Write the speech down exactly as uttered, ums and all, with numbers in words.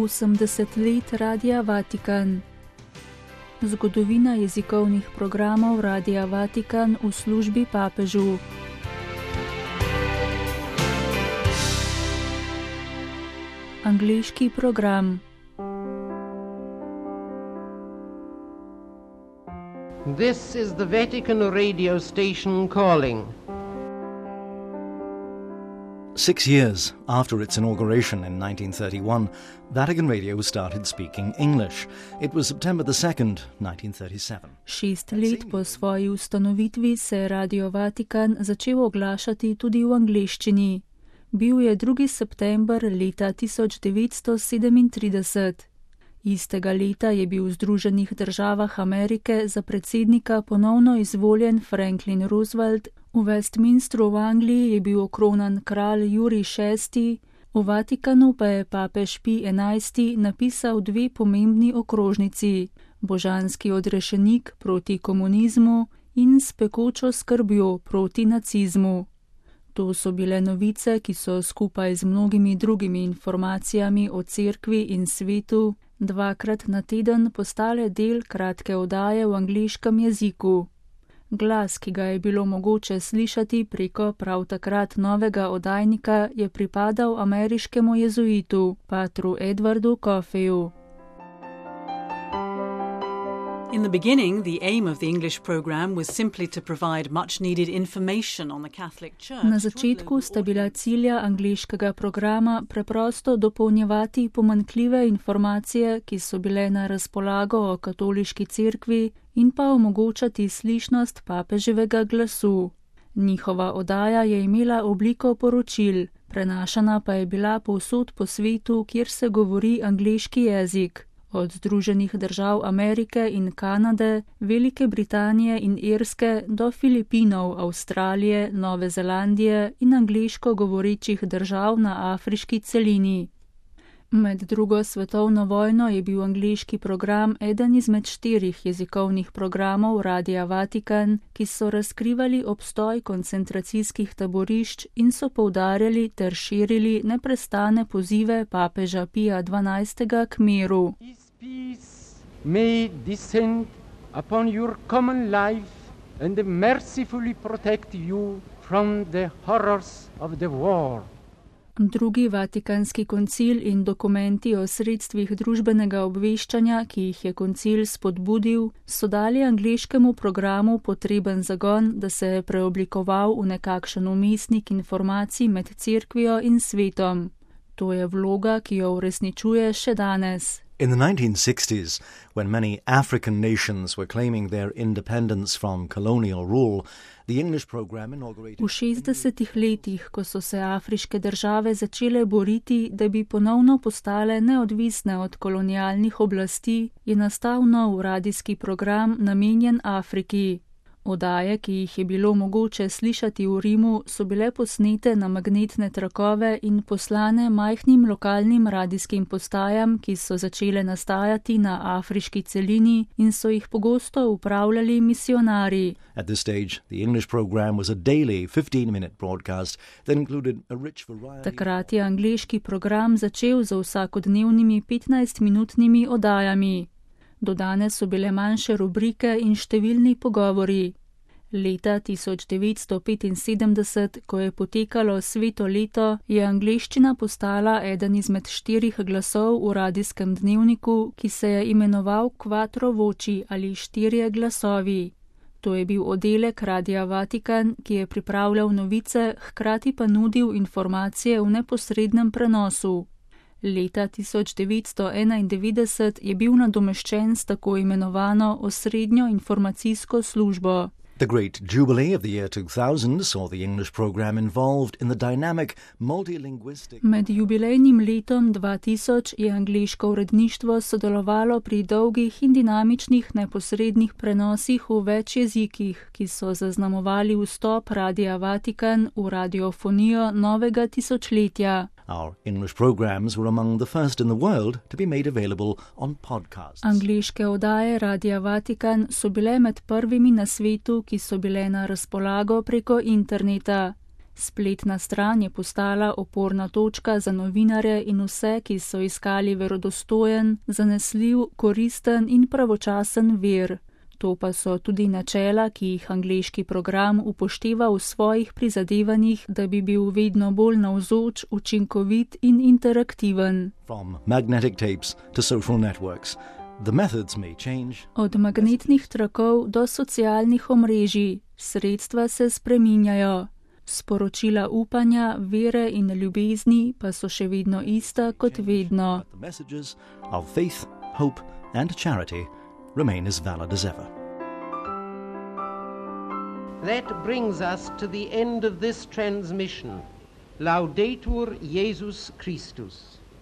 osemdeset let Radia Vatikan. Zgodovina jezikovnih programov Radia Vatikan v službi papežu. Angleški program. This is the Vatican radio station calling. Six years after its inauguration in nineteen thirty-one, Vatican Radio started speaking English. It was September the second, nineteen thirty-seven. Šest let po svoji ustanovitvi se je Radio Vatikan začel oglašati tudi v angleščini. Bil je drugi september leta tisoč devetsto sedemintrideset. Istega leta je bil v Združenih državah Amerike za predsednika ponovno izvoljen Franklin Roosevelt, v Westminstru v Angliji je bil okronan kralj Jurij šesti, v Vatikanu pa je papež Pij enajsti napisal dve pomembni okrožnici, Božanski odrešenik proti komunizmu in S pekočo skrbjo proti nacizmu. To so bile novice, ki so skupaj z mnogimi drugimi informacijami o cerkvi in svetu dvakrat na teden postale del kratke oddaje v angleškem jeziku. Glas, ki ga je bilo mogoče slišati preko prav takrat novega oddajnika, je pripadal ameriškemu jezuitu, patru Edwardu Coffeyu. In the beginning, the aim of the English program was simply to provide much-needed information on the Catholic Church. Na začetku sta bila cilja angleškega programa preprosto dopolnjevati pomanjkljive informacije, ki so bile na razpolago o katoliški cerkvi, in pa omogočati slišnost papeževega glasu. Njihova oddaja je imela obliko poročil, prenašana pa je bila povsod po svetu, kjer se govori angleški jezik. Od Združenih držav Amerike in Kanade, Velike Britanije in Irske do Filipinov, Avstralije, Nove Zelandije in angleško govorečih držav na afriški celini. Med drugo svetovno vojno je bil angleški program eden izmed štirih jezikovnih programov Radia Vatikan, ki so razkrivali obstoj koncentracijskih taborišč in so poudarjali ter širili neprestane pozive papeža Pija dvanajstega k miru. Peace may descend upon your common life and mercifully protect you from the horrors of the war. Drugi vatikanski koncil in dokumenti o sredstvih družbenega obveščanja, ki jih je koncil spodbudil, so dali angleškemu programu potreben zagon, da se je preoblikoval v nekakšen umestnik informacij med cerkvijo in svetom. To je vloga, ki jo uresničuje še danes. In the nineteen sixties, when many African nations were claiming their independence from colonial rule, the English program inaugurated... V šestdesetih letih, ko so se afriške države začele boriti, da bi ponovno postale neodvisne od kolonialnih oblasti, je nastal nov radijski program namenjen Afriki. Oddaje, ki jih je bilo mogoče slišati v Rimu, so bile posnete na magnetne trakove in poslane majhnim lokalnim radijskim postajam, ki so začele nastajati na afriški celini in so jih pogosto upravljali misionarji. At this stage, the English program was a daily fifteen-minute broadcast that included a rich variety... Takrat je angleški program začel z vsakodnevnimi petnajstminutnimi oddajami. Dodane so bile manjše rubrike in številni pogovori. Leta tisoč devetsto petinsedemdeset, ko je potekalo sveto leto, je angleščina postala eden izmed štirih glasov v radijskem dnevniku, ki se je imenoval Quattro Voci ali štirje glasovi. To je bil oddelek Radia Vatikan, ki je pripravljal novice, hkrati pa nudil informacije v neposrednem prenosu. Leta tisoč devetsto enaindevetdeset je bil nadomeščen s tako imenovano osrednjo informacijsko službo. The great jubilee of the year two thousand saw the English program involved in the dynamic multilinguistic... Med jubilejnim letom dva tisoč je angleško uredništvo sodelovalo pri dolgih in dinamičnih neposrednih prenosih v več jezikih, ki so zaznamovali vstop Radia Vatikan v radiofonijo novega tisočletja. Our English programs were among the first in the world to be made available on podcasts. Angleške oddaje Radia Vatikan so bile med prvimi na svetu, ki so bile na razpolago preko interneta. Spletna stran je postala oporna točka za novinarje in vse, ki so iskali verodostojen, zanesljiv, koristen in pravočasen vir. To pa so tudi načela, ki jih angleški program upošteva v svojih prizadevanjih, da bi bil vedno bolj navzoč, učinkovit in interaktiven. From magnetic tapes to social networks, the methods may change. Od magnetnih trakov do socialnih omrežij, sredstva se spreminjajo. Sporočila upanja, vere in ljubezni pa so še vedno ista kot vedno. But the messages of faith, hope and charity remain as valid as ever. That brings us to the end of this transmission. Laudetur Jesus Christus.